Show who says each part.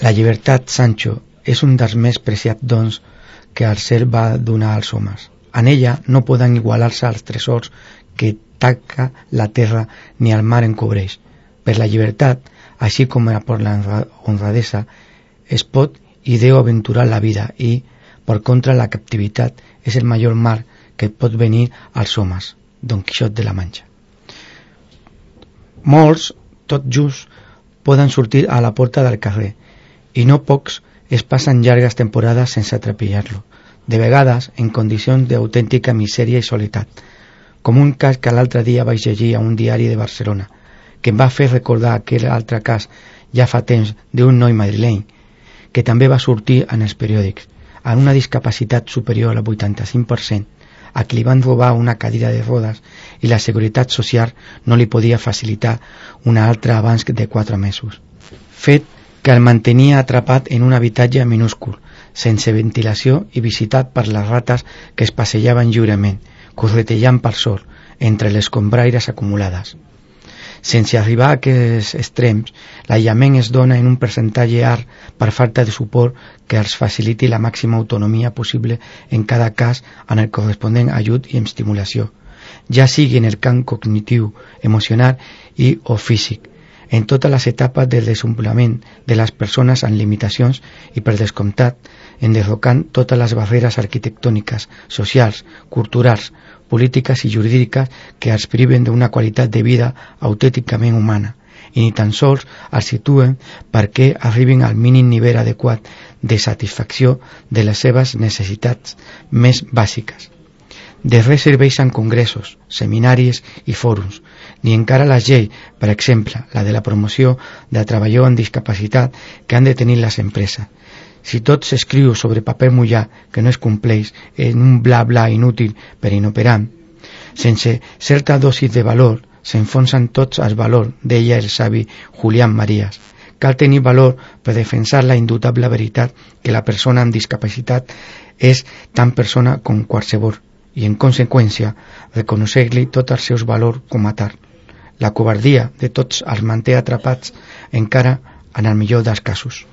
Speaker 1: La llibertat, Sancho, és un dels més preciats dons que el cel va donar als homes. En ella no poden igualar-se els tresors que taca la terra ni el mar encobreix. Per la llibertat, així com per la honradesa, es pot i deu aventurar la vida i, per contra, la captivitat és el major mal que pot venir als homes. Don Quixot de la Manxa. Molts, tot just, poden sortir a la porta del carrer i no pocs es passen llargues temporades sense trepitjar-lo, de vegades en condicions d'autèntica misèria i soledat, com un cas que l'altre dia vaig llegir a un diari de Barcelona, que em va fer recordar aquell altre cas ja fa temps d'un noi madrileny, que també va sortir en els periòdics, amb una discapacitat superior al 85%, a qui li van robar una cadira de rodes i la Seguretat Social no li podia facilitar una altra abans de 4 mesos. Fet que el mantenia atrapat en un habitatge minúscul, sense ventilació i visitat per les rates que es passejaven lliurement, corretejant pel sol, entre les escombraires acumulades. Sense arribar a aquests extrems, l'aïllament es dona en un percentatge alt per falta de suport que els faciliti la màxima autonomia possible en cada cas en el corresponent ajut i estimulació, ja sigui en el camp cognitiu, emocional i o físic, en totes les etapes del desenvolupament de les persones amb limitacions i, per descomptat, enderrocant totes les barreres arquitectòniques, socials, culturals, polítiques i jurídiques que els priven d'una qualitat de vida autènticament humana i ni tan sols els situen perquè arribin al mínim nivell adequat de satisfacció de les seves necessitats més bàsiques. De res serveixen congressos, seminaris i fòrums, ni encara la llei, per exemple, la de la promoció de treballadors amb discapacitat que han de tenir les empreses. Si tot s'escriu sobre paper mullat que no es compleix en un bla bla inútil per inoperant, sense certa dosis de valor s'enfonsen tots els valors, deia el savi Julián Marías. Cal tenir valor per defensar la indubtable veritat que la persona amb discapacitat és tan persona com qualsevol i, en conseqüència, reconèixer-li tots els seus valors com a tal. La covardia de tots els manté atrapats encara en el millor dels casos.